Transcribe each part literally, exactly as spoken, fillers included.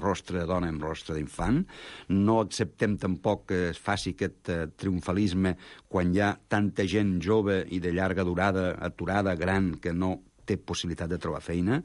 amb rostre de dona i amb rostre d'infant. No acceptem tampoc que es faci aquest eh, triomfalisme quan hi ha tanta gent jove i de llarga durada, aturada, gran, que no té possibilitat de trobar feina.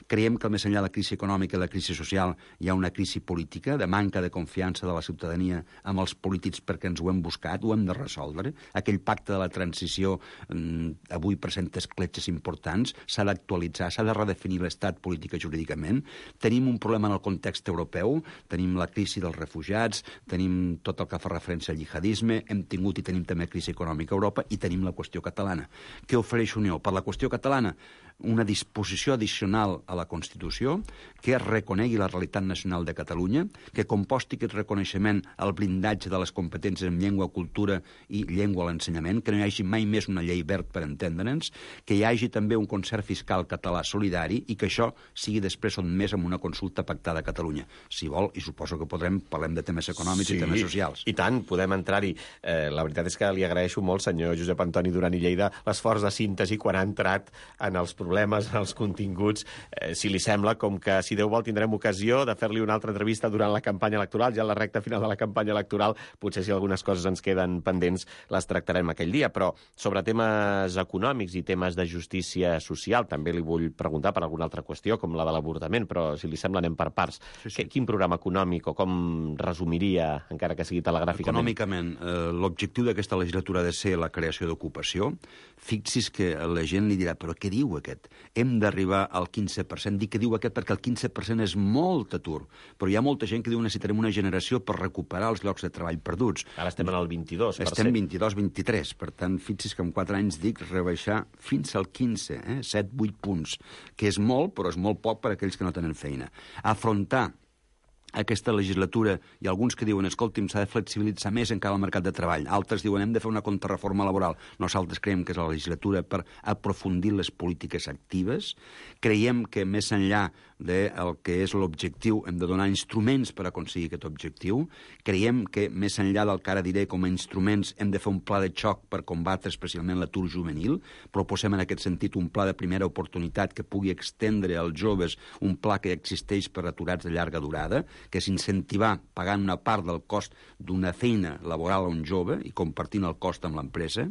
Creiem que, més enllà de la crisi econòmica i la crisi social, hi ha una crisi política, de manca de confiança de la ciutadania amb els polítics perquè ens ho hem buscat, ho hem de resoldre. Aquell pacte de la transició eh, avui presenta escletxes importants, s'ha d'actualitzar, s'ha de redefinir l'estat polític i jurídicament. Tenim un problema en el context europeu, tenim la crisi dels refugiats, tenim tot el que fa referència al jihadisme, hem tingut i tenim també crisi econòmica a Europa i tenim la qüestió catalana. Què ofereix Unió? Per la qüestió catalana, una disposició addicional a la Constitució que reconegui la realitat nacional de Catalunya, que composti aquest reconeixement al blindatge de les competències en llengua, cultura i llengua a l'ensenyament, que no hi hagi mai més una llei verd per entendre'ns, que hi hagi també un concert fiscal català solidari i que això sigui després sotmès amb una consulta pactada a Catalunya. Si vol, i suposo que podrem, parlem de temes econòmics sí, i temes socials. I tant, podem entrar-hi. Eh, la veritat és que li agraeixo molt, senyor Josep Antoni Duran i Lleida, l'esforç de síntesi quan ha entrat en els problemes, en els continguts. Eh, si li sembla, com que si Déu vol tindrem ocasió de fer-li una altra entrevista durant la campanya electoral, ja a la recta final de la campanya electoral, potser si algunes coses ens queden pendents les tractarem aquell dia, però sobre temes econòmics i temes de justícia social també li vull preguntar per alguna altra qüestió, com la de l'avortament, però si li sembla anem per parts. Sí, sí. Quin programa econòmic o com resumiria, encara que sigui telegràficament? Econòmicament, eh, l'objectiu d'aquesta legislatura ha de ser la creació d'ocupació. Fixi's que la gent li dirà, però què diu aquest? Hem d'arribar al quinze per cent. Dic que diu aquest perquè el quinze per cent és molt atur, però hi ha molta gent que diu que necessitarem una generació per recuperar els llocs de treball perduts. Ara estem en el vint-i-dos per cent. Estem vint-i-dos vint-i-tres, per tant, fixi's que en quatre anys dic rebaixar fins al quinze, eh? set vuit punts, que és molt, però és molt poc per a aquells que no tenen feina. Afrontar aquesta legislatura, i alguns que diuen, escolti'm, s'ha de flexibilitzar més encara el mercat de treball. Altres diuen, hem de fer una contrarreforma laboral. Nosaltres creiem que és la legislatura per aprofundir les polítiques actives. Creiem que més enllà del que és l'objectiu hem de donar instruments per aconseguir aquest objectiu. Creiem que més enllà del que ara diré com a instruments hem de fer un pla de xoc per combatre especialment l'atur juvenil. Proposem en aquest sentit un pla de primera oportunitat que pugui extendre als joves un pla que existeix per aturats de llarga durada, que és incentivar pagant una part del cost d'una feina laboral a un jove i compartint el cost amb l'empresa.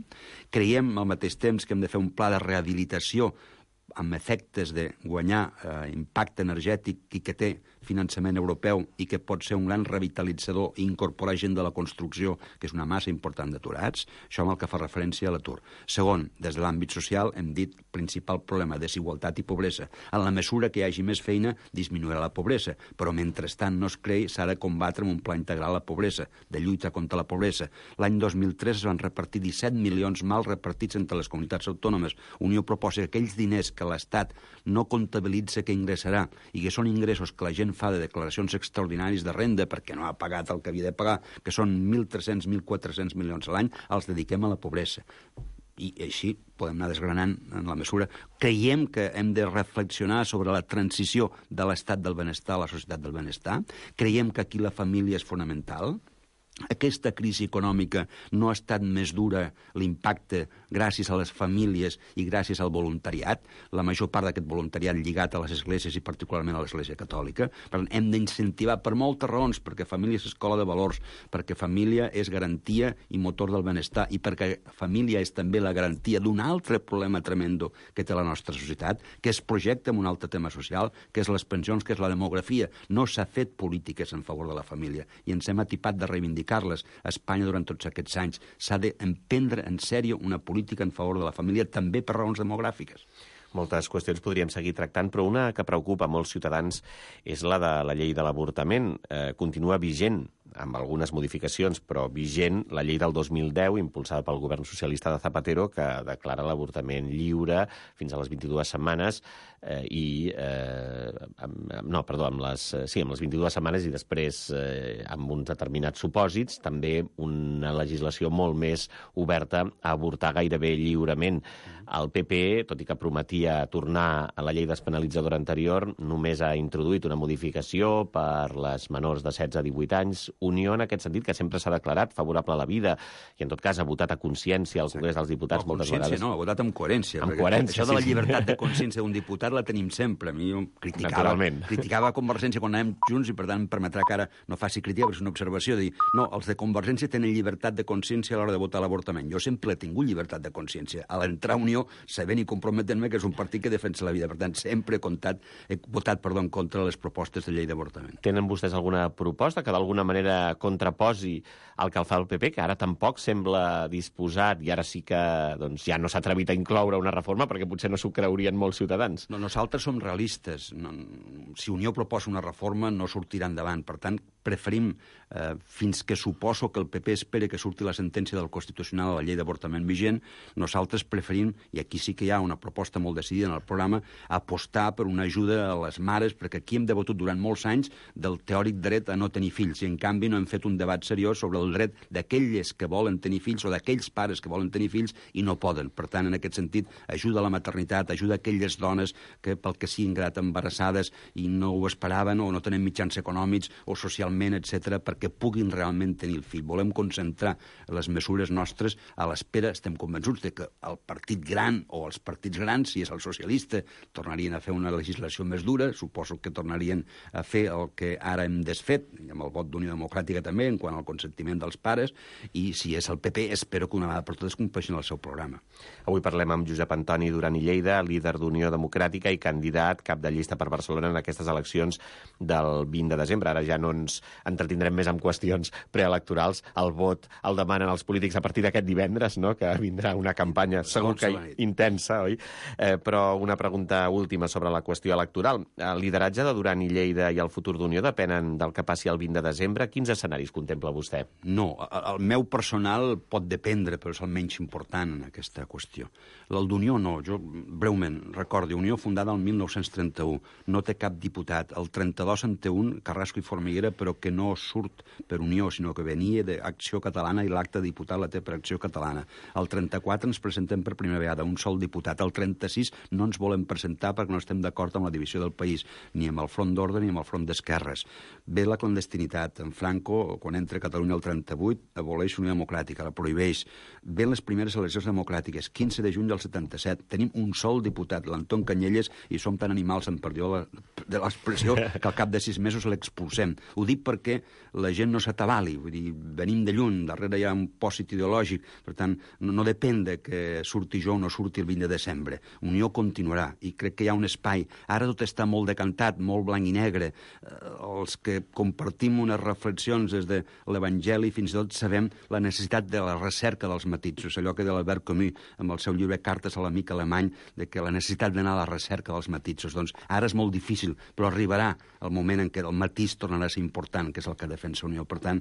Creiem al mateix temps que hem de fer un pla de rehabilitació amb efectes de guanyar eh, impacte energètic i que té finançament europeu i que pot ser un gran revitalitzador i incorporar gent de la construcció, que és una massa important d'aturats. Això amb el que fa referència a l'atur. Segon, des de l'àmbit social hem dit principal problema, desigualtat i pobresa. En la mesura que hi hagi més feina, disminuirà la pobresa, però mentrestant no es creï, s'ha de combatre amb un pla integral la pobresa, de lluita contra la pobresa. L'any dos mil tres es van repartir disset milions mal repartits entre les comunitats autònomes. Unió proposa que aquells diners que l'Estat no comptabilitza que ingressarà i que són ingressos que la gent fa de declaracions extraordinàries de renda perquè no ha pagat el que havia de pagar, que són mil tres-cents, mil quatre-cents milions a l'any, els dediquem a la pobresa. I així podem anar desgranant en la mesura. Creiem que hem de reflexionar sobre la transició de l'estat del benestar a la societat del benestar. Creiem que aquí la família és fonamental. Aquesta crisi econòmica no ha estat més dura l'impacte gràcies a les famílies i gràcies al voluntariat, la major part d'aquest voluntariat lligat a les esglésies i particularment a l'Església Catòlica. Per tant, hem d'incentivar per moltes raons, perquè família és escola de valors, perquè família és garantia i motor del benestar i perquè família és també la garantia d'un altre problema tremendo que té la nostra societat, que es projecta en un altre tema social, que és les pensions, que és la demografia. No s'ha fet polítiques en favor de la família i ens hem atipat de reivindicar Carles, a Espanya durant tots aquests anys. S'ha d'emprendre en sèrio una política en favor de la família, també per raons demogràfiques. Moltes qüestions podríem seguir tractant, però una que preocupa molts ciutadans és la de la llei de l'avortament. Eh, continua vigent, amb algunes modificacions, però vigent la llei del dos mil deu, impulsada pel govern socialista de Zapatero, que declara l'avortament lliure fins a les vint-i-dues setmanes, eh, i... Eh, amb, no, perdó, amb les, sí, amb les vint-i-dues setmanes i després eh, amb uns determinats supòsits, també una legislació molt més oberta a avortar gairebé lliurement. El P P, tot i que prometia tornar a la llei despenalitzadora anterior, només ha introduït una modificació per les menors de setze a divuit anys, Unió, en aquest sentit, que sempre s'ha declarat favorable a la vida i, en tot cas, ha votat a consciència al Congrés dels Diputats no, moltes vegades. No, ha votat amb coherència. Amb coherència, això de la sí, sí. llibertat de consciència d'un diputat la tenim sempre. A mi jo criticava, criticava Convergència quan anàvem junts i, per tant, em permetrà que ara no faci crítica, però és una observació de dir, no, els de Convergència tenen llibertat de consciència a l'hora de votar l'avortament. Jo sempre he tingut llibertat de consciència. A l'entrar a Unió, sabent i comprometent-me que és un partit que defensa la vida. Per tant, sempre he, comptat, he votat perdó, en contra de les propostes de llei d'avortament. Tenen vostès alguna proposta que d'alguna manera contraposi el que el fa el P P, que ara tampoc sembla disposat i ara sí que doncs, ja no s'ha atrevit a incloure una reforma perquè potser no s'ho creurien molts ciutadans? No, nosaltres som realistes. No, si Unió proposa una reforma no sortirà endavant. Per tant, preferim, eh, fins que suposo que el P P espere que surti la sentència del Constitucional a la llei d'avortament vigent, nosaltres preferim, i aquí sí que hi ha una proposta molt decidida en el programa, apostar per una ajuda a les mares, perquè aquí hem debatut durant molts anys del teòric dret a no tenir fills, i en canvi no hem fet un debat seriós sobre el dret d'aquelles que volen tenir fills o d'aquells pares que volen tenir fills i no poden. Per tant, en aquest sentit, ajuda a la maternitat, ajuda a aquelles dones que, pel que siguin grat embarassades i no ho esperaven o no tenen mitjans econòmics o socialment, etcètera, perquè puguin realment tenir el fill. Volem concentrar les mesures nostres a l'espera. Estem convençuts de que el partit gran o els partits grans, si és el socialista, tornarien a fer una legislació més dura, suposo que tornarien a fer el que ara hem desfet, amb el vot d'Unió Democràtica també, en quant al consentiment dels pares, i si és el P P, espero que una vegada per totes compleixin el seu programa. Avui parlem amb Josep Antoni Duran i Lleida, líder d'Unió Democràtica i candidat cap de llista per Barcelona en aquestes eleccions del vint de desembre. Ara ja no ens entretindrem més amb qüestions preelectorals. El vot el demanen els polítics a partir d'aquest divendres, no?, que vindrà una campanya segur que intensa, oi? Eh, però una pregunta última sobre la qüestió electoral. El lideratge de Duran i Lleida i el futur d'Unió depenen del que passi el vint de desembre. Quins escenaris contempla vostè? No, el meu personal pot dependre, però és el menys important en aquesta qüestió. El d'Unió no. Jo, breument, recordi, Unió fundada el mil nou-cents trenta-u, no té cap diputat. El trenta-dos en té un, Carrasco i Formiguera, però que no surt per Unió, sinó que venia d'Acció Catalana i l'acte de diputat la té per Acció Catalana. El trenta-quatre ens presentem per primera vegada, un sol diputat. El trenta-sis no ens volem presentar perquè no estem d'acord amb la divisió del país, ni amb el front d'ordre ni amb el front d'esquerres. Ve la clandestinitat. En Franco, quan entra a Catalunya el trenta-vuit, aboleix Unió Democràtica, la prohibeix. Ven les primeres eleccions democràtiques, quinze de juny del setanta-set. Tenim un sol diputat, l'Anton Canyelles, i som tan animals, en perdió la, de l'expressió, que al cap de sis mesos l'expulsem. Ho dic perquè la gent no s'atabali. Vull dir, venim de lluny, darrere hi ha un pòsit ideològic. Per tant, no, no depèn de que surti jo o no surti el vint de desembre. Unió continuarà, i crec que hi ha un espai. Ara tot està molt decantat, molt blanc i negre. Els que compartim unes reflexions des de l'Evangeli fins i tot sabem la necessitat de la recerca dels matisos, allò que de l'Albert Camus, amb el seu llibre Cartes a l'amic alemany, de que la necessitat d'anar a la recerca dels matisos. Doncs ara és molt difícil, però arribarà el moment en què el matís tornarà a ser important, que és el que defensa Unió. Per tant,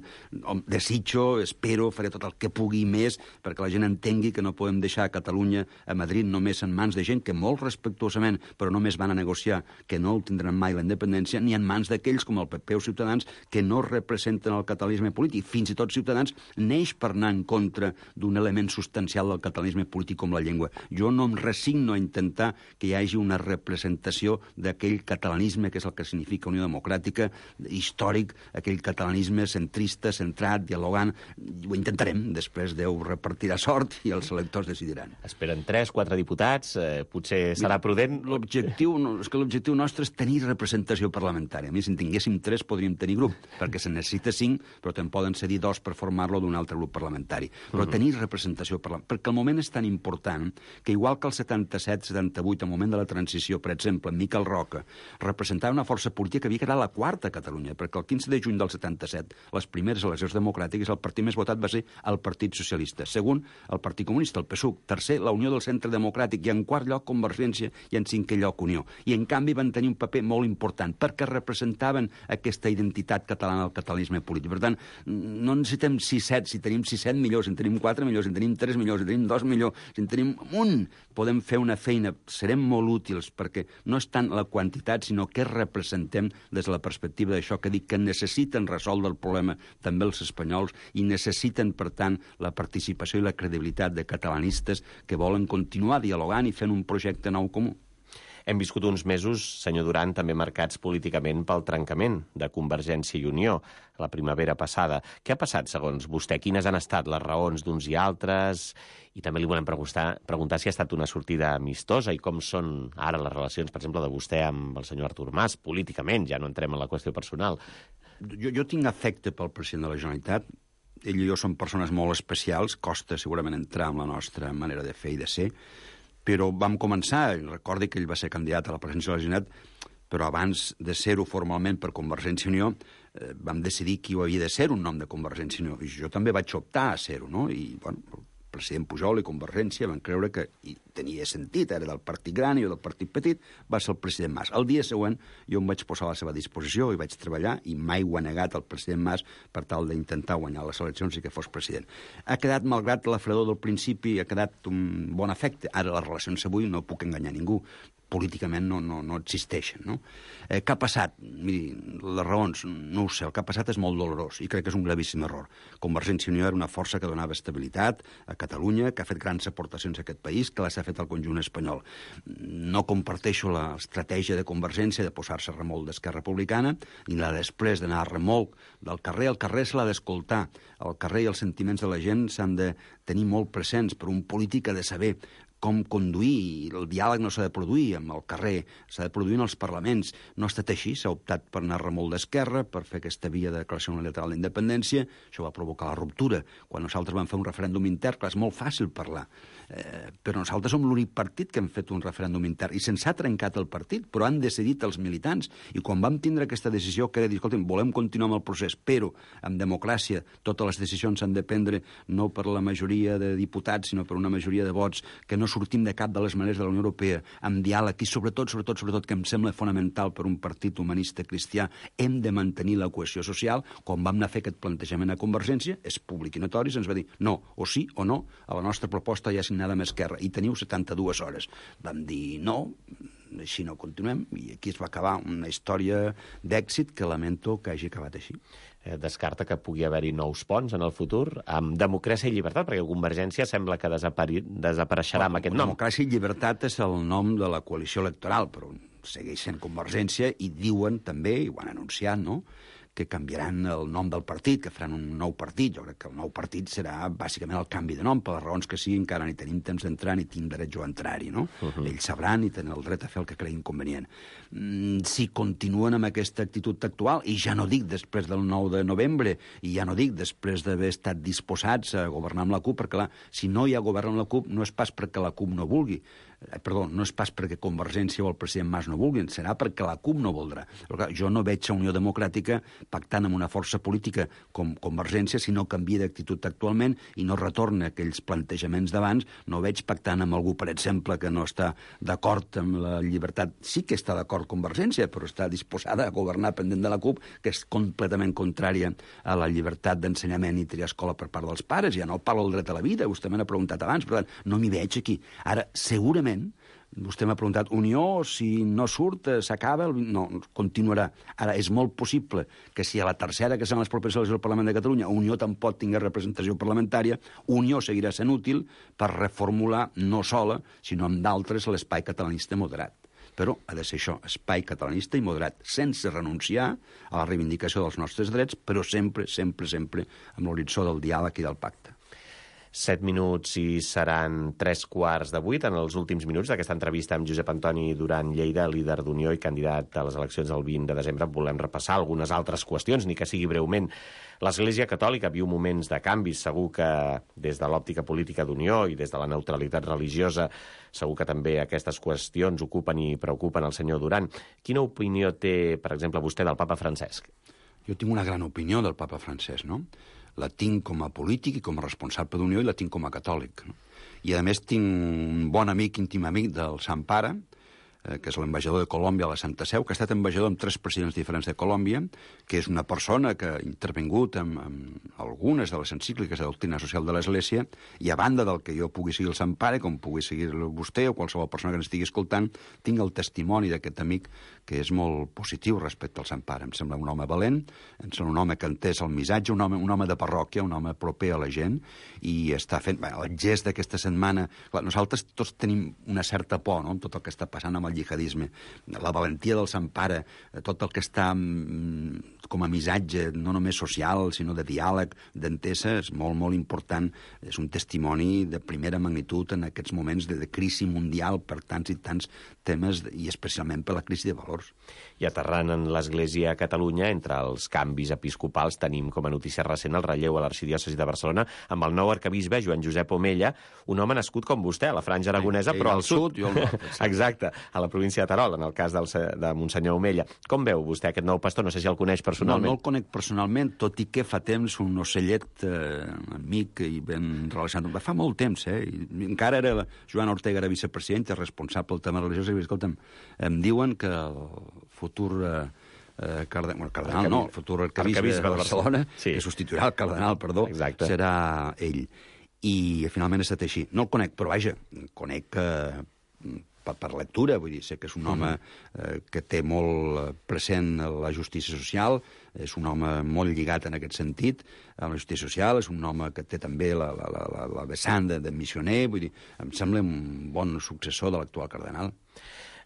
desitjo, espero, faré tot el que pugui més perquè la gent entengui que no podem deixar a Catalunya, a Madrid, només en mans de gent que molt respectuosament, però només van a negociar, que no tindran mai la independència, ni en mans d'aquells com el P P o Ciutadans que no representen el catalanisme polític. Fins i tot Ciutadans neix per anar en contra d'un element substancial del catalanisme polític com la llengua. Jo no em resigno a intentar que hi hagi una representació d'aquell catalanisme que és el que significa Unió Democràtica, històric, aquell catalanisme centrista, centrat, dialogant. Ho intentarem. Després Déu repartirà sort i els electors decidiran. Esperen tres, quatre diputats, eh, potser serà prudent. L'objectiu, no, és que l'objectiu nostre és tenir representació parlamentària. A mi, si en tinguéssim tres, podríem tenir grup, perquè se necessita cinc, però te'n poden cedir dos per formar-lo d'un altre grup parlamentari. Però uh -huh. tenir representació parlamentària, perquè el moment és tan important que, igual que el setanta-set setanta-vuit, al moment de la transició, per exemple, Miquel Roca representava una força política que havia quedat la quarta a Catalunya, perquè el quinze de juny del setanta-set, les primeres eleccions democràtiques, el partit més votat va ser el Partit Socialista. Segon, el Partit Comunista, el P S U C. Tercer, la Unió del Centre Democràtic. I en quart lloc, Convergència, i en cinquè lloc, Unió. I, en canvi, van tenir un paper molt important, perquè representaven aquesta identitat catalana del catalanisme polític. Per tant, no necessitem sis set, si tenim sis set millors, si en tenim quatre millors, si en tenim tres millors, si en tenim dos millors, si en tenim un, podem fer una feina, serem molt útils, perquè no és tant la quantitat, sinó què representem des de la perspectiva d'això que dic, que necessiten resoldre el problema també els espanyols i necessiten, per tant, la participació i la credibilitat de catalanistes que volen continuar dialogant i fent un projecte nou comú. Hem viscut uns mesos, senyor Duran, també marcats políticament pel trencament de Convergència i Unió la primavera passada. Què ha passat, segons vostè? Quines han estat les raons d'uns i altres? I també li volem preguntar, preguntar si ha estat una sortida amistosa i com són ara les relacions, per exemple, de vostè amb el senyor Artur Mas, políticament, ja no entrem en la qüestió personal. Jo, jo tinc afecte pel president de la Generalitat. Ell i jo som persones molt especials, costa segurament entrar en la nostra manera de fer i de ser, però vam començar, recordi que ell va ser candidat a la presidència de la Generalitat, però abans de ser-ho formalment per Convergència i Unió, eh, vam decidir qui havia de ser un nom de Convergència i Unió. I jo també vaig optar a ser-ho, no? I, bueno, el president Pujol i Convergència van creure que i tenia sentit, era del partit gran i jo del partit petit, va ser el president Mas. El dia següent jo em vaig posar a la seva disposició i vaig treballar i mai ho ha negat el president Mas per tal d'intentar guanyar les eleccions i que fos president. Ha quedat, malgrat la fredor del principi, ha quedat un bon efecte. Ara les relacions avui no puc enganyar ningú. Políticament no, no, no existeixen. No? Eh, què ha passat? Miri, les raons, no ho sé, el que ha passat és molt dolorós i crec que és un gravíssim error. Convergència i Unió era una força que donava estabilitat a Catalunya, que ha fet grans aportacions a aquest país, que les ha fet al conjunt espanyol. No comparteixo l'estratègia de Convergència de posar-se a remolc d'Esquerra Republicana i la després d'anar a remolc del carrer. El carrer se l'ha d'escoltar. El carrer i els sentiments de la gent s'han de tenir molt presents, però un polític ha de saber com conduir, el diàleg no s'ha de produir amb el carrer, s'ha de produir en els parlaments. No ha estat així, s'ha optat per anar a remolc d'Esquerra, per fer aquesta via de declaració unilateral d'independència, això va provocar la ruptura. Quan nosaltres vam fer un referèndum intern, clar, és molt fàcil parlar, eh, però nosaltres som l'únic partit que hem fet un referèndum intern, i se'ns ha trencat el partit, però han decidit els militants, i quan vam tindre aquesta decisió, que era dir, escolta'm, volem continuar amb el procés, però en democràcia totes les decisions s'han de prendre no per la majoria de diputats, sinó per una majoria de vots, que no sortim de cap de les maneres de la Unió Europea, amb diàleg i sobretot, sobretot, sobretot, que em sembla fonamental per un partit humanista cristià, hem de mantenir la cohesió social. Quan vam anar a fer aquest plantejament a Convergència, és públic i notori, se'ns va dir no, o sí o no, a la nostra proposta ja signada amb Esquerra, i teniu setanta-dues hores. Vam dir no, així no continuem, i aquí es va acabar una història d'èxit que lamento que hagi acabat així. Descarta que pugui haver-hi nous ponts en el futur, amb democràcia i llibertat, perquè Convergència sembla que desapari... desapareixerà amb aquest nom. Democràcia i llibertat és el nom de la coalició electoral, però segueix sent Convergència i diuen també, i ho han anunciat, no?, que canviaran el nom del partit, que faran un nou partit. Jo crec que el nou partit serà bàsicament el canvi de nom, per les raons que sigui, encara ni tenim temps d'entrar ni tinc dret jo a entrar-hi, no? Uh -huh. Ells sabran i tenen el dret a fer el que creguin convenient. Mm, si continuen amb aquesta actitud actual, i ja no dic després del nou de novembre, i ja no dic després d'haver estat disposats a governar amb la CUP, perquè clar, si no hi ha govern amb la CUP no és pas perquè la CUP no vulgui, eh, perdó, no és pas perquè Convergència o el president Mas no vulguin, serà perquè la CUP no voldrà. Però clar, jo no veig a Unió Democràtica pactant amb una força política com Convergència si no canvia d'actitud actualment i no retorna aquells plantejaments d'abans. No veig pactant amb algú, per exemple, que no està d'acord amb la llibertat. Sí que està d'acord Convergència, però està disposada a governar pendent de la CUP, que és completament contrària a la llibertat d'ensenyament i triar escola per part dels pares. Ja no parlo del dret a la vida, vostè me n'ha preguntat abans, per tant, no m'hi veig aquí. Ara, segurament, vostè m'ha preguntat, Unió, si no surt, s'acaba? El... No, continuarà. Ara, és molt possible que si a la tercera, que són les properes eleccions del Parlament de Catalunya, Unió tampoc tingui representació parlamentària, Unió seguirà sent útil per reformular, no sola, sinó amb d'altres, l'espai catalanista moderat. Però ha de ser això, espai catalanista i moderat, sense renunciar a la reivindicació dels nostres drets, però sempre, sempre, sempre amb l'horitzó del diàleg i del pacte. Set minuts i seran tres quarts de vuit en els últims minuts d'aquesta entrevista amb Josep Antoni Duran Lleida, líder d'Unió i candidat a les eleccions del vint de desembre. Volem repassar algunes altres qüestions, ni que sigui breument. L'Església Catòlica viu moments de canvis, segur que des de l'òptica política d'Unió i des de la neutralitat religiosa, segur que també aquestes qüestions ocupen i preocupen el senyor Duran. Quina opinió té, per exemple, vostè del papa Francesc? Jo tinc una gran opinió del papa Francesc, no? La tinc com a polític i com a responsable d'Unió i la tinc com a catòlic, no? I a més tinc un bon amic, íntim amic del Sant Pare, eh, que és l'ambaixador de Colòmbia a la Santa Seu, que ha estat ambaixador amb tres presidents diferents de Colòmbia, que és una persona que ha intervingut en, en algunes de les encícliques de doctrina social de l'Església, i a banda del que jo pugui seguir el Sant Pare, com pugui seguir vostè o qualsevol persona que ens estigui escoltant, tinc el testimoni d'aquest amic que és molt positiu respecte al Sant Pare. Em sembla un home valent, em sembla un home que entès el missatge, un home, un home de parròquia, un home proper a la gent, i està fent... Bé, el gest d'aquesta setmana... Clar, nosaltres tots tenim una certa por, no?, amb tot el que està passant amb el jihadisme. La valentia del Sant Pare, tot el que està com a missatge, no només social, sinó de diàleg, d'entesa, és molt, molt important. És un testimoni de primera magnitud en aquests moments de, de crisi mundial per tants i tants temes, i especialment per la crisi de valors. I aterrant en l'Església a Catalunya, entre els canvis episcopals, tenim com a notícia recent el relleu a l'arxidiòcesi de Barcelona amb el nou arquebisbe Joan Josep Omella, un home nascut com vostè, a la Franja Aragonesa, Ai, però al sud. sud jo al nord, exacte, a la província de Terol, en el cas del, de Monsenyor Omella. Com veu vostè aquest nou pastor? No sé si el coneix personalment. No, no el conec personalment, tot i que fa temps un ocellet eh, amic i ben relacionat. Fa molt temps, eh? I encara era la Joan Ortega, era vicepresident, responsable del tema religiós, i escolta'm, em diuen que el futur... Eh, Eh, cardenal, bueno, cardenal no, el futur arquebisbe, arquebisbe de Barcelona, sí. que substituirà el cardenal, perdó, Exacte. serà ell. I finalment ha estat així. No el conec, però vaja, conec eh, per, per lectura, vull dir, sé que és un home eh, que té molt present la justícia social, és un home molt lligat en aquest sentit, amb la justícia social, és un home que té també la, la, la, la vessant de, de missioner, vull dir, em sembla un bon successor de l'actual cardenal.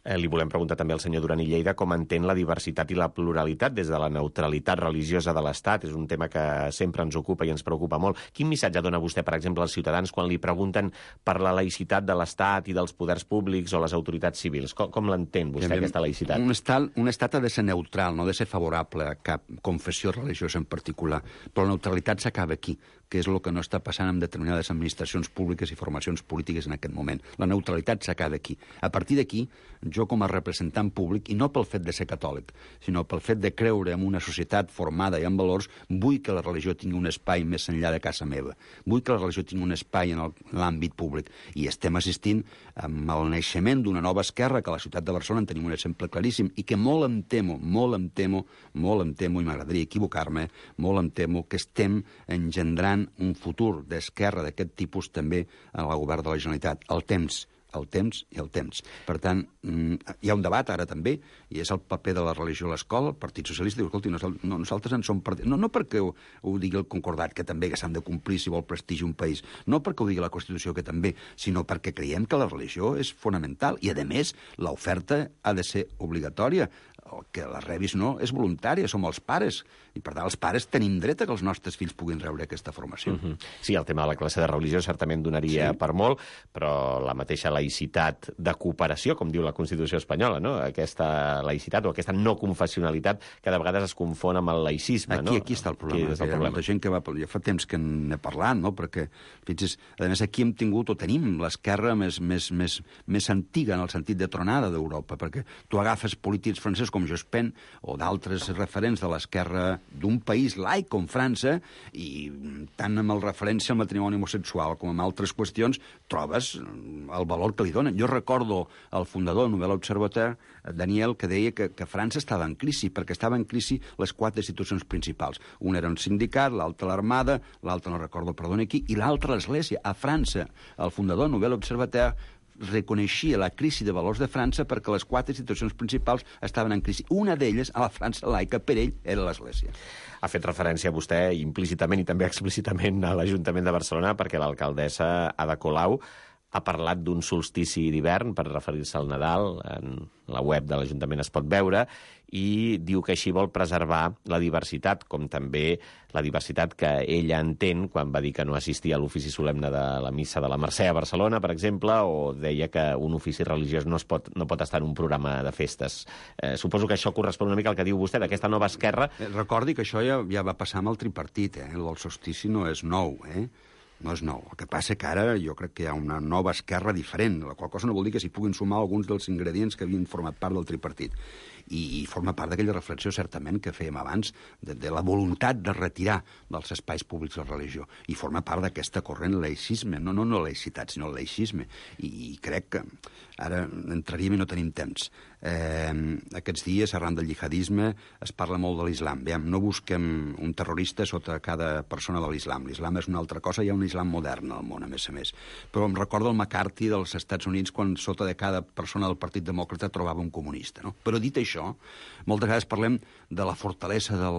Eh, li volem preguntar també al senyor Duran i Lleida com entén la diversitat i la pluralitat des de la neutralitat religiosa de l'Estat. És un tema que sempre ens ocupa i ens preocupa molt. Quin missatge dona vostè, per exemple, als ciutadans quan li pregunten per la laïcitat de l'Estat i dels poders públics o les autoritats civils? Com, com l'entén vostè, Bien, aquesta laïcitat? Un estat, un estat ha de ser neutral, no ha de ser favorable a cap confessió religiosa en particular. Però la neutralitat s'acaba aquí, que és el que no està passant amb determinades administracions públiques i formacions polítiques en aquest moment. La neutralitat s'acaba aquí. A partir d'aquí, jo com a representant públic, i no pel fet de ser catòlic, sinó pel fet de creure en una societat formada i amb valors, vull que la religió tingui un espai més enllà de casa meva. Vull que la religió tingui un espai en l'àmbit públic. I estem assistint amb el naixement d'una nova esquerra, que a la ciutat de Barcelona en tenim un exemple claríssim, i que molt em temo, molt em temo, molt em temo, i m'agradaria equivocar-me, molt em temo que estem engendrant un futur d'esquerra d'aquest tipus també en el govern de la Generalitat. El temps, el temps i el temps. Per tant, hi ha un debat ara també, i és el paper de la religió a l'escola. El Partit Socialista diu, escolti, nosaltres en som part... No, no perquè ho, ho digui el Concordat, que també que s'han de complir si vol prestigi un país, no perquè ho digui la Constitució, que també, sinó perquè creiem que la religió és fonamental, i a més, l'oferta ha de ser obligatòria. El que la rebis no és voluntària, som els pares, i per tant els pares tenim dret a que els nostres fills puguin rebre aquesta formació. Uh-huh. Sí, el tema de la classe de religió certament donaria sí. per molt, però la mateixa laïcitat de cooperació, com diu la Constitució espanyola, no? Aquesta laïcitat o aquesta no confessionalitat que de vegades es confon amb el laïcisme. Aquí, no? aquí està el problema. Aquí el problema. Hi ha molta gent que va... Ja fa temps que n'he parlat, no? Perquè, fixis, a més aquí hem tingut o tenim l'esquerra més, més, més, més antiga en el sentit de tronada d'Europa, perquè tu agafes polítics francesos com Jospin o d'altres referents de l'esquerra d'un país laic com França, i tant amb el referència al matrimoni homosexual com amb altres qüestions, trobes el valor que li donen. Jo recordo el fundador de Nouvel Observateur, Daniel, que deia que, que França estava en crisi, perquè estava en crisi les quatre institucions principals. Una era un sindicat, l'altra l'Armada, l'altra no recordo, perdona qui, i l'altra l'Església. A França, el fundador de Nouvel Observateur reconeixia la crisi de valors de França perquè les quatre institucions principals estaven en crisi. Una d'elles, a la França laica, per ell, era l'Església. Ha fet referència vostè implícitament i també explícitament a l'Ajuntament de Barcelona perquè l'alcaldessa Ada Colau ha parlat d'un solstici d'hivern per referir-se al Nadal. En la web de l'Ajuntament es pot veure, i diu que així vol preservar la diversitat, com també la diversitat que ella entén quan va dir que no assistia a l'ofici solemne de la missa de la Mercè a Barcelona, per exemple, o deia que un ofici religiós no, es pot, no pot estar en un programa de festes. Eh, suposo que això correspon una mica al que diu vostè, d'aquesta nova esquerra. Recordi que això ja, ja va passar amb el tripartit, eh? El solstici no és nou, eh? No és nou. El que passa que ara jo crec que hi ha una nova esquerra diferent, la qual cosa no vol dir que s'hi puguin sumar alguns dels ingredients que havien format part del tripartit. I, i forma part d'aquella reflexió, certament, que fèiem abans, de, de la voluntat de retirar dels espais públics la religió. I forma part d'aquesta corrent laïcisme, no, no, no laïcitat, sinó laïcisme. I, i crec que ara entraríem i no tenim temps. Eh, aquests dies, arran del jihadisme, es parla molt de l'islam. Veiem, no busquem un terrorista sota cada persona de l'islam. L'islam és una altra cosa, hi ha un islam modern al món, a més a més. Però em recordo el McCarthy dels Estats Units quan sota de cada persona del Partit Demòcrata trobava un comunista, no? Però dit això, moltes vegades parlem de la fortalesa de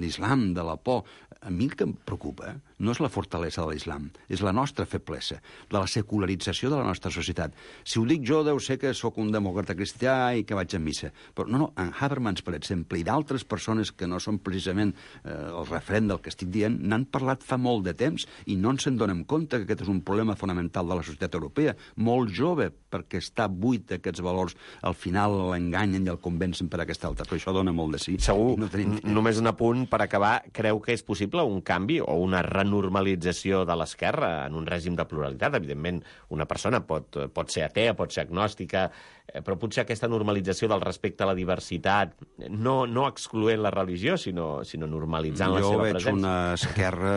l'islam, de la por. A mi el que em preocupa no és la fortalesa de l'islam, és la nostra feblesa, de la secularització de la nostra societat. Si ho dic jo, deu ser que sóc un demòcrata cristià i que vaig a missa. Però no, no, en Habermas, per exemple, i d'altres persones que no són precisament eh, el referent del que estic dient, n'han parlat fa molt de temps i no ens en donem compte que aquest és un problema fonamental de la societat europea. Molt jove, perquè està buit d'aquests valors, al final l'enganyen i el convencen per aquesta altra. Però això dona molt de sí. Segur, no tenim... només un apunt per acabar. Creu que és possible un canvi o una renormalització de l'esquerra en un règim de pluralitat? Evidentment, una persona pot, pot ser atea, pot ser agnòstica, però potser aquesta normalització del respecte a la diversitat, no, no excloent la religió, sinó, sinó normalitzant jo la seva presència. Jo veig una esquerra...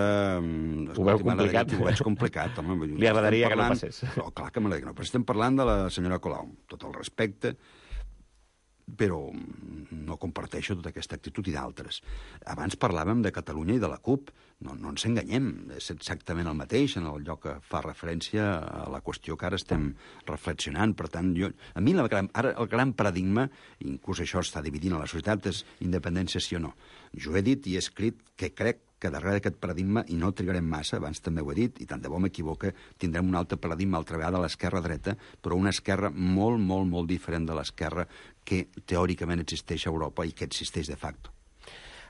Ho veu complicat? Ho veig complicat, home. Li agradaria que no passés. No, clar que m'agradaria que no. Però estem parlant de la senyora Colau, tot el respecte, però no comparteixo tota aquesta actitud i d'altres. Abans parlàvem de Catalunya i de la CUP. No, no ens enganyem, és exactament el mateix en el lloc que fa referència a la qüestió que ara estem reflexionant. Per tant, jo, a mi la, ara el gran paradigma, inclús això està dividint a la societat, és independència sí o no. Jo he dit i he escrit que crec que darrere d'aquest paradigma, i no trigarem massa, abans també ho he dit, i tant de bo m'equivoque, tindrem un altre paradigma altra vegada a l'esquerra-dreta, però una esquerra molt, molt, molt diferent de l'esquerra que teòricament existeix a Europa i que existeix de facto.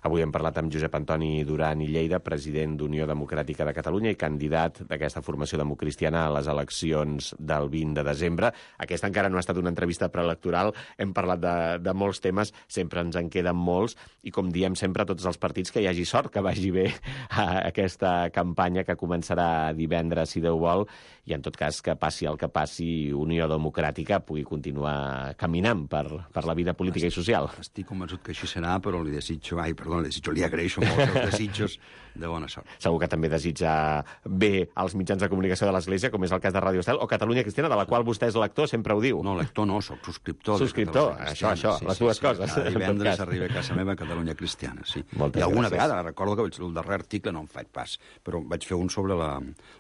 Avui hem parlat amb Josep Antoni Duran i Lleida, president d'Unió Democràtica de Catalunya i candidat d'aquesta formació democristiana a les eleccions del vint de desembre. Aquesta encara no ha estat una entrevista preelectoral, hem parlat de, de molts temes, sempre ens en queden molts, i com diem sempre a tots els partits, que hi hagi sort, que vagi bé a aquesta campanya que començarà divendres, si Déu vol, i en tot cas que passi el que passi, Unió Democràtica pugui continuar caminant per, per la vida política i social. Estic convençut que així serà, però li desitjo... Ai, perdó, li desitjo, li agraeixo molt els desitjos de bona sort. Segur que també desitja bé als mitjans de comunicació de l'Església, com és el cas de Ràdio Estel o Catalunya Cristiana, de la qual vostè és lector, sempre ho diu. No, lector no, soc subscriptor. Subscriptor, això, això, sí, les sí, dues sí, coses. Cada divendres arriba a casa meva a Catalunya Cristiana, sí. Moltes I alguna gràcies. vegada, recordo que vaig, el darrer article no en faig pas, però vaig fer un sobre la,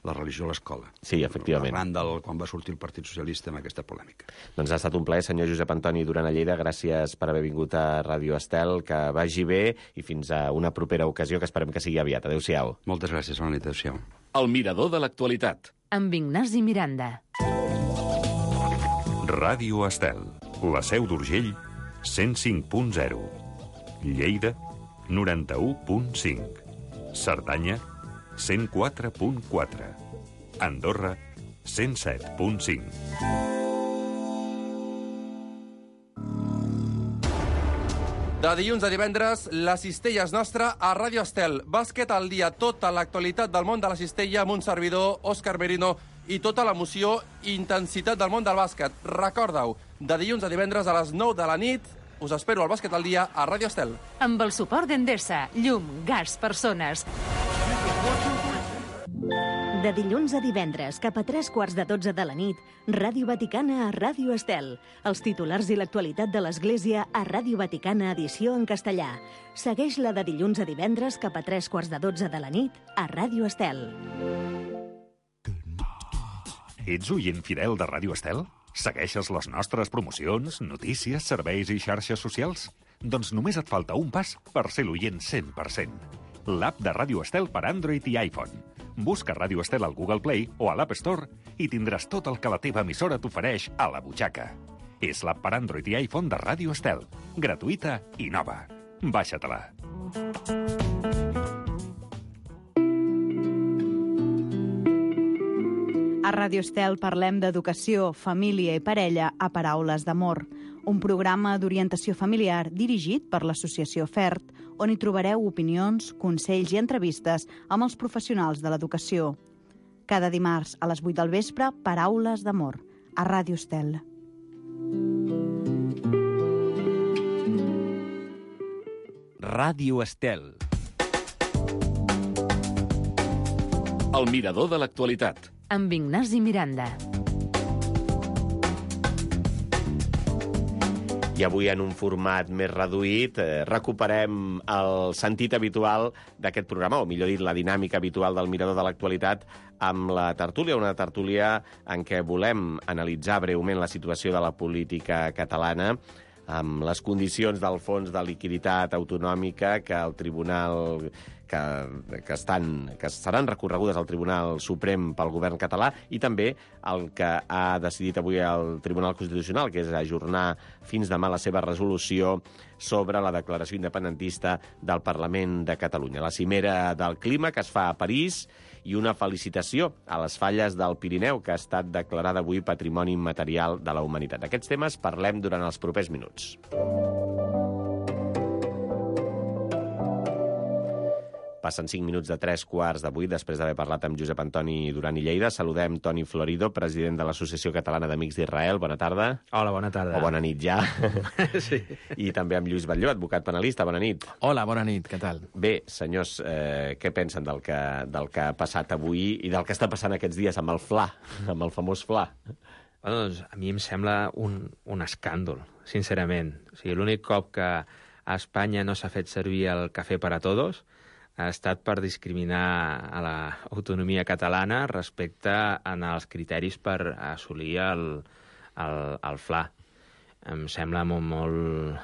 la religió a l'escola. Sí, efectivament. Arran del quan va sortir el Partit Socialista amb aquesta polèmica. Doncs ha estat un plaer, senyor Josep Antoni Duran a Lleida. Gràcies per haver vingut a Ràdio Estel, que vagi bé i fins a una propera ocasió, que esperem que sigui aviat. Adéu-siau. Moltes gràcies, bona nit, adéu-siau. El mirador de l'actualitat. Amb Ignasi Miranda. Ràdio Estel, la Seu d'Urgell, cent cinc punt zero. Lleida, noranta-u punt cinc. Cerdanya, cent quatre punt quatre. Andorra, cent set punt cinc. De dilluns a divendres, la cistella és nostra a Ràdio Estel. Bàsquet al dia, tota l'actualitat del món de la cistella amb un servidor, Òscar Merino, i tota l'emoció i intensitat del món del bàsquet. Recorda-ho, de dilluns a divendres a les nou de la nit, us espero al Bàsquet al dia a Ràdio Estel. Amb el suport d'Endesa, llum, gas, persones. De dilluns a divendres, cap a tres quarts de dotze de la nit, Ràdio Vaticana a Ràdio Estel. Els titulars i l'actualitat de l'Església a Ràdio Vaticana, edició en castellà. Segueix-la de dilluns a divendres, cap a tres quarts de dotze de la nit, a Ràdio Estel. Ets oient fidel de Ràdio Estel? Segueixes les nostres promocions, notícies, serveis i xarxes socials? Doncs només et falta un pas per ser l'oient cent per cent. L'app de Ràdio Estel per Android i iPhone. Busca Ràdio Estel al Google Play o a l'App Store i tindràs tot el que la teva emissora t'ofereix a la butxaca. És l'app per Android i iPhone de Ràdio Estel. Gratuïta i nova. Baixa-te-la. A Ràdio Estel parlem d'educació, família i parella a Paraules d'Amor, un programa d'orientació familiar dirigit per l'Associació FERT, on hi trobareu opinions, consells i entrevistes amb els professionals de l'educació. Cada dimarts a les vuit del vespre, Paraules d'Amor, a Ràdio Estel. Ràdio Estel. El mirador de l'actualitat. Amb Ignasi Miranda. I avui, en un format més reduït, eh, recuperem el sentit habitual d'aquest programa, o millor dit, la dinàmica habitual del Mirador de l'Actualitat, amb la tertúlia, una tertúlia en què volem analitzar breument la situació de la política catalana, amb les condicions del fons de liquiditat autonòmica que el Tribunal que, que, estan, que seran recorregudes al Tribunal Suprem pel govern català, i també el que ha decidit avui el Tribunal Constitucional, que és ajornar fins demà la seva resolució sobre la declaració independentista del Parlament de Catalunya. La cimera del clima que es fa a París, i una felicitació a les falles del Pirineu, que ha estat declarada avui Patrimoni Immaterial de la Humanitat. D'aquests temes parlem durant els propers minuts. Passen cinc minuts de tres quarts de vuit, després d'haver parlat amb Josep Antoni Duran i Lleida. Saludem Toni Florido, president de l'Associació Catalana d'Amics d'Israel. Bona tarda. Hola, bona tarda. O bona nit ja. Sí. I també amb Lluís Batlló, advocat penalista. Bona nit. Hola, bona nit, què tal? Bé, senyors, eh, què pensen del que, del que ha passat avui i del que està passant aquests dies amb el F L A, amb el famós F L A? Bueno, doncs, a mi em sembla un, un escàndol, sincerament. O sigui, l'únic cop que a Espanya no s'ha fet servir el cafè per a tots ha estat per discriminar a l'autonomia catalana respecte als criteris per assolir el, el, el F L A. Em sembla molt, molt,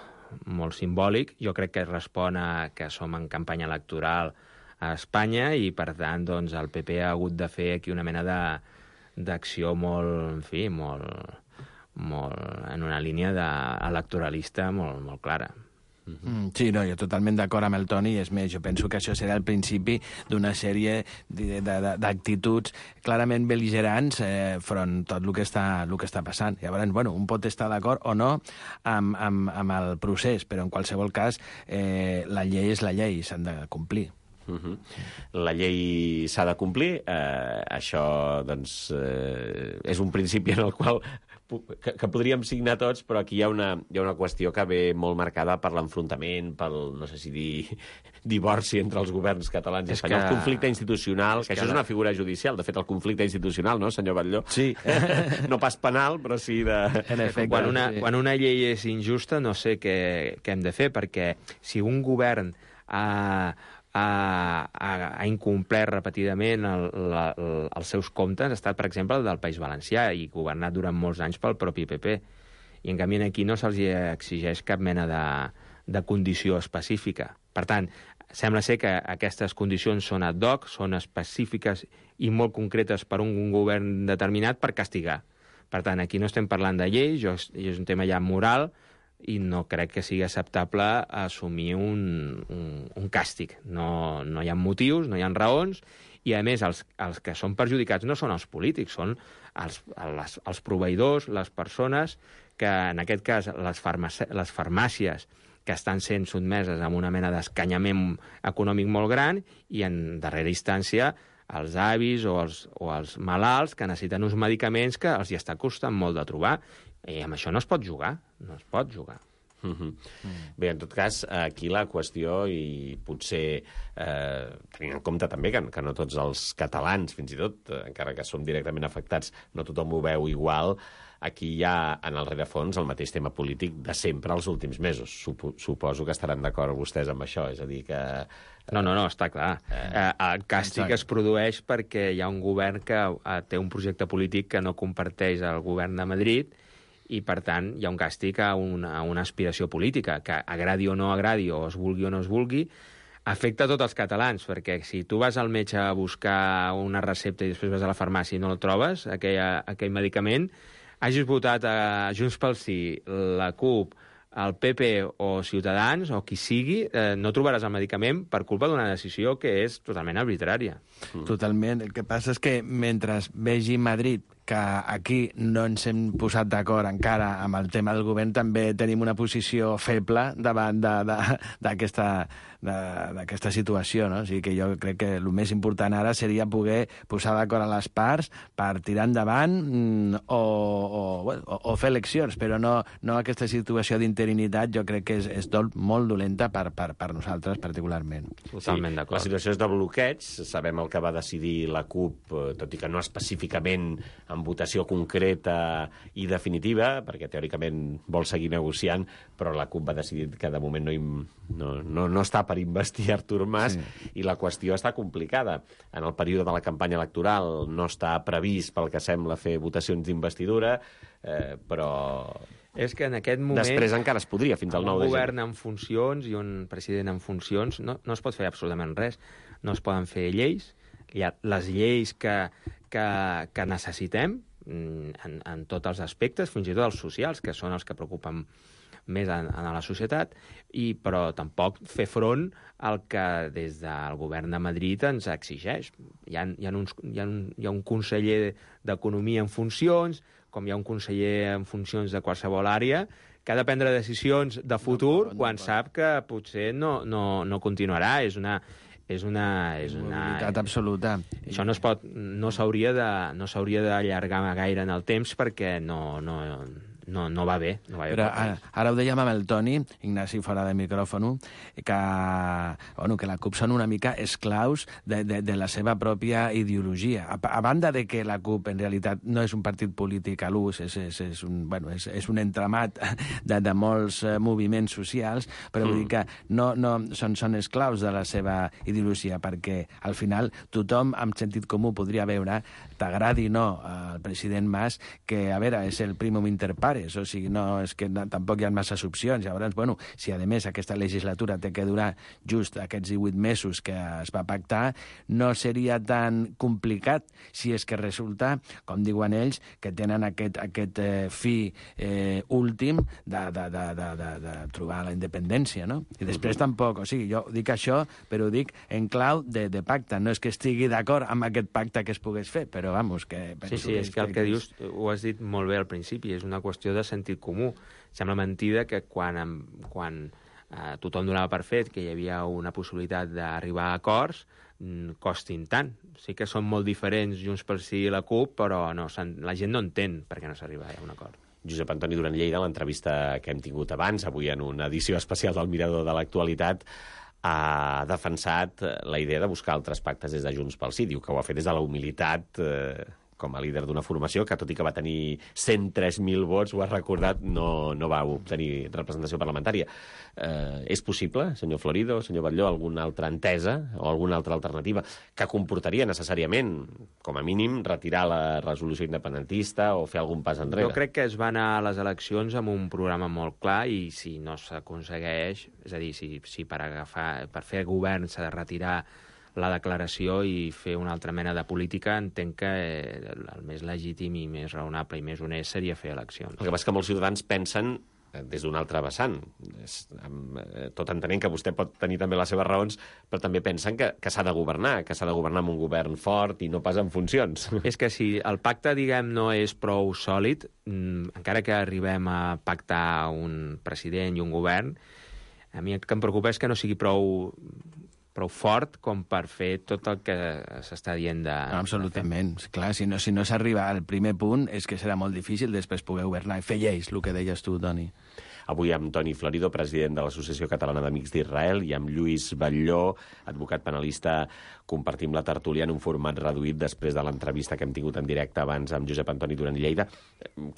molt simbòlic. Jo crec que respon a que som en campanya electoral a Espanya i, per tant, doncs, el P P ha hagut de fer aquí una mena de, d'acció molt, en fi, molt, molt en una línia de, electoralista molt, molt clara. Mm, sí, no, jo totalment d'acord amb el Toni, és més, jo penso que això serà el principi d'una sèrie d'actituds clarament bel·ligerants eh, front tot el que està, el que està passant. Llavors, bueno, un pot estar d'acord o no amb, amb, amb el procés, però en qualsevol cas eh, la llei és la llei, s'han de complir. Uh -huh. La llei s'ha de complir, eh, això doncs, eh, és un principi en el qual que, que podríem signar tots, però aquí hi ha, una, hi ha una qüestió que ve molt marcada per l'enfrontament, pel, no sé si dir, divorci entre els governs catalans i espanyols, que... conflicte institucional, que, que això és una figura judicial, de fet, el conflicte institucional, no, senyor Batlló? Sí. No pas penal, però sí de... En efecte, quan una, quan una llei és injusta, no sé què, què hem de fer, perquè si un govern ha... Ha, ha, ha incomplert repetidament el, la, el, els seus comptes, ha estat, per exemple, el del País Valencià, i governat durant molts anys pel propi P P. I, en canvi, aquí no se'ls exigeix cap mena de, de condició específica. Per tant, sembla ser que aquestes condicions són ad hoc, són específiques i molt concretes per un govern determinat per castigar. Per tant, aquí no estem parlant de lleis, és un tema ja moral, i no crec que sigui acceptable assumir un, un, un càstig. No, no hi ha motius, no hi ha raons, i, a més, els, els que són perjudicats no són els polítics, són els, les, els proveïdors, les persones que, en aquest cas, les, farmàcies, les farmàcies que estan sent sotmeses a una mena d'escanyament econòmic molt gran, i, en darrera instància, els avis o els, o els malalts que necessiten uns medicaments que els hi està costant molt de trobar. I amb això no es pot jugar, no es pot jugar. Uh -huh. mm. Bé, en tot cas, aquí la qüestió, i potser eh, tenint en compte també que, que no tots els catalans, fins i tot, eh, encara que som directament afectats, no tothom ho veu igual, aquí hi ha, en el rerefons, el mateix tema polític de sempre els últims mesos. Supo, suposo que estaran d'acord vostès amb això, és a dir que... Eh, no, no, no, està clar. Eh, el càstig exacte. Es produeix perquè hi ha un govern que eh, té un projecte polític que no comparteix el govern de Madrid, i, per tant, hi ha un càstig a una, a una aspiració política, que agradi o no agradi, o es vulgui o no es vulgui, afecta a tots els catalans, perquè si tu vas al metge a buscar una recepta i després vas a la farmàcia i no el trobes, aquell, aquell medicament, hagis votat a Junts pel Sí, la CUP, el P P o Ciutadans, o qui sigui, eh, no trobaràs el medicament per culpa d'una decisió que és totalment arbitrària. Totalment. El que passa és que mentre vegi Madrid que aquí no ens hem posat d'acord encara amb el tema del govern, també tenim una posició feble davant d'aquesta d'aquesta situació, no? O sigui que jo crec que el més important ara seria poder posar d'acord a les parts per tirar endavant o, o, bueno, o, o fer eleccions, però no, no aquesta situació d'interinitat jo crec que és, és dol, molt dolenta per, per, per nosaltres particularment. Totalment sí, d'acord. La situació és de bloqueig, sabem el que va decidir la CUP, tot i que no específicament en votació concreta i definitiva, perquè teòricament vol seguir negociant, però la CUP va decidir que de moment no, no, no, no està per investir Artur Mas, sí. I la qüestió està complicada. En el període de la campanya electoral no està previst, pel que sembla, fer votacions d'investidura, eh, però... És que en aquest moment... Després encara es podria, fins al nou de gener. Un govern en funcions i un president en funcions no, no es pot fer absolutament res. No es poden fer lleis. Hi ha les lleis que, que, que necessitem en, en tots els aspectes, fins i tot els socials, que són els que preocupen més en, en la societat, i, però tampoc fer front al que des del govern de Madrid ens exigeix. Hi ha, hi ha, uns, hi ha, un, hi ha un conseller d'Economia en funcions, com hi ha un conseller en funcions de qualsevol àrea, que ha de prendre decisions de futur no, no, no, quan no, sap que potser no, no, no continuarà. És una... És una... És una absoluta. Això no es pot... No s'hauria de, no s'hauria d'allargar gaire en el temps perquè no... no No, no va bé. No va bé Però ara, ara ho dèiem amb el Toni, Ignasi fora de micròfon, que, bueno, que la CUP són una mica esclaus de, de, de la seva pròpia ideologia. A, a banda de que la CUP en realitat no és un partit polític a l'ús, és, és, és, un, bueno, és, és un entramat de, de molts uh, moviments socials, però mm. vull dir que no, no, són, són esclaus de la seva ideologia, perquè al final tothom amb sentit comú podria veure, t'agradi o no al president Mas, que a veure, és el primum inter pares, o sigui, no, és que no, tampoc hi ha masses opcions. Llavors, bueno, si a més aquesta legislatura té que durar just aquests divuit mesos que es va pactar, no seria tan complicat si és que resulta, com diuen ells, que tenen aquest, aquest eh, fi eh, últim de, de, de, de, de, de trobar la independència, no? I després uh-huh. tampoc, o sigui, jo dic això, però ho dic en clau de, de pacte. No és que estigui d'acord amb aquest pacte que es pogués fer, però, vamos, que... Sí, sí, és que el que dius, ho has dit molt bé al principi, és una qüestió de sentit comú. Sembla mentida que quan, quan eh, tothom donava per fet que hi havia una possibilitat d'arribar a acords, costin tant. Sí que són molt diferents Junts pel Sí i la CUP, però no, la gent no entén per què no s'arriba a un acord. Josep Antoni Duran Lleida, en l'entrevista que hem tingut abans, avui en una edició especial del Mirador de l'Actualitat, ha defensat la idea de buscar altres pactes des de Junts pel Sí. Diu que ho ha fet des de la humilitat... Eh, com a líder d'una formació que, tot i que va tenir cent tres mil vots, ho ha recordat, no, no va obtenir representació parlamentària. Eh, és possible, senyor Florido, senyor Batlló, alguna altra entesa o alguna altra alternativa que comportaria necessàriament, com a mínim, retirar la resolució independentista o fer algun pas enrere? Jo crec que es va anar a les eleccions amb un programa molt clar i si no s'aconsegueix, és a dir, si, si per, agafar, per fer govern s'ha de retirar la declaració i fer una altra mena de política, entenc que el més legítim i més raonable i més honest seria fer eleccions. El que passa que molts ciutadans pensen des d'un altre vessant, tot entenent que vostè pot tenir també les seves raons, però també pensen que, que s'ha de governar, que s'ha de governar amb un govern fort i no pas en funcions. És que si el pacte, diguem, no és prou sòlid, encara que arribem a pactar un president i un govern, a mi el que em preocupa és que no sigui prou... prou fort com per fer tot el que s'està dient de... No, absolutament. De clar, si no, si no s'arriba al primer punt és que serà molt difícil després poder governar i fer lleis, el que deies tu, Toni. Avui amb Toni Florido, president de l'Associació Catalana d'Amics d'Israel, i amb Lluís Batlló, advocat penalista, compartim la tertúlia en un format reduït després de l'entrevista que hem tingut en directe abans amb Josep Antoni Duran Lleida.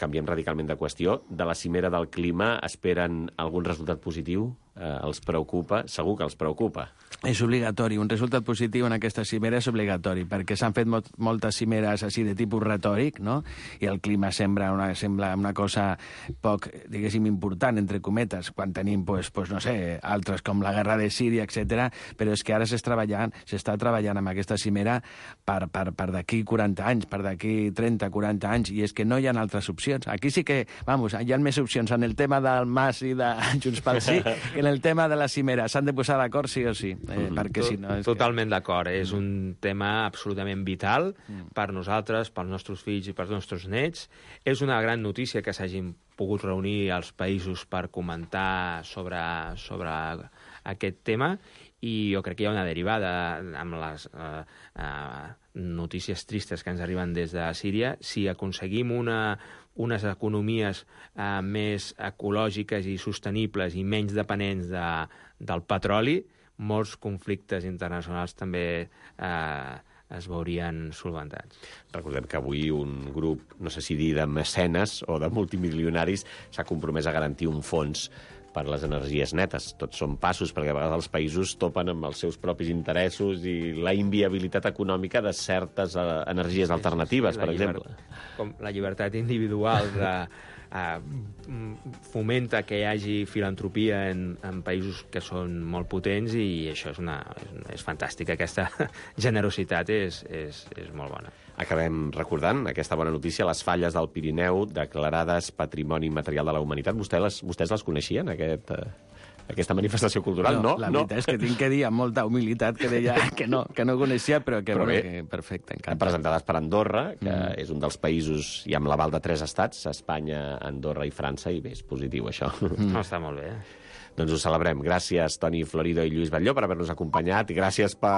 Canviem radicalment de qüestió. De la cimera del clima esperen algun resultat positiu? Eh, els preocupa? Segur que els preocupa. És obligatori. Un resultat positiu en aquesta cimera és obligatori, perquè s'han fet molt, moltes cimeres així de tipus retòric, no? I el clima sembla una, sembla una cosa poc, diguéssim, important, entre cometes, quan tenim, pues, pues, no sé, altres com la guerra de Síria, etcètera. Però és que ara s'està treballant, s'està treballant amb aquesta cimera per, per, per d'aquí quaranta anys, per d'aquí trenta, quaranta anys, i és que no hi ha altres opcions. Aquí sí que, vamos, hi ha més opcions en el tema del Mas i de Junts pel Sí que en el tema de la cimera. S'han de posar d'acord sí o sí, eh, mm. perquè si no... És Totalment que... d'acord. Mm. És un tema absolutament vital mm. per nosaltres, pels nostres fills i pels nostres nets. És una gran notícia que s'hagin pogut reunir els països per comentar sobre, sobre aquest tema i jo crec que hi ha una derivada amb les eh, eh, notícies tristes que ens arriben des de Síria. Si aconseguim una, unes economies eh, més ecològiques i sostenibles i menys dependents de, del petroli, molts conflictes internacionals també eh, es veurien solventats. Recordem que avui un grup, no sé si dir de mecenes o de multimilionaris, s'ha compromès a garantir un fons per les energies netes. Tots són passos, perquè a vegades els països topen amb els seus propis interessos i la inviabilitat econòmica de certes uh, energies alternatives, sí, sí, per exemple. Com la llibertat individual de, uh, fomenta que hi hagi filantropia en, en països que són molt potents, i això és, una, és, és fantàstic. Aquesta generositat és, és, és molt bona. Acabem recordant aquesta bona notícia, les falles del Pirineu declarades Patrimoni Immaterial de la Humanitat. Vostè les, vostès les coneixien, aquest, aquesta manifestació cultural? No, no la veritat no. és que tinc que dir amb molta humilitat que deia que no, que no coneixia, però que, però bé, que perfecte, encantat. Presentades per Andorra, que mm. és un dels països, i amb l'aval de tres estats, Espanya, Andorra i França, i bé, és positiu això. Mm. No, està molt bé. Doncs ho celebrem. Gràcies, Toni Florido i Lluís Batlló, per haver-nos acompanyat, i gràcies per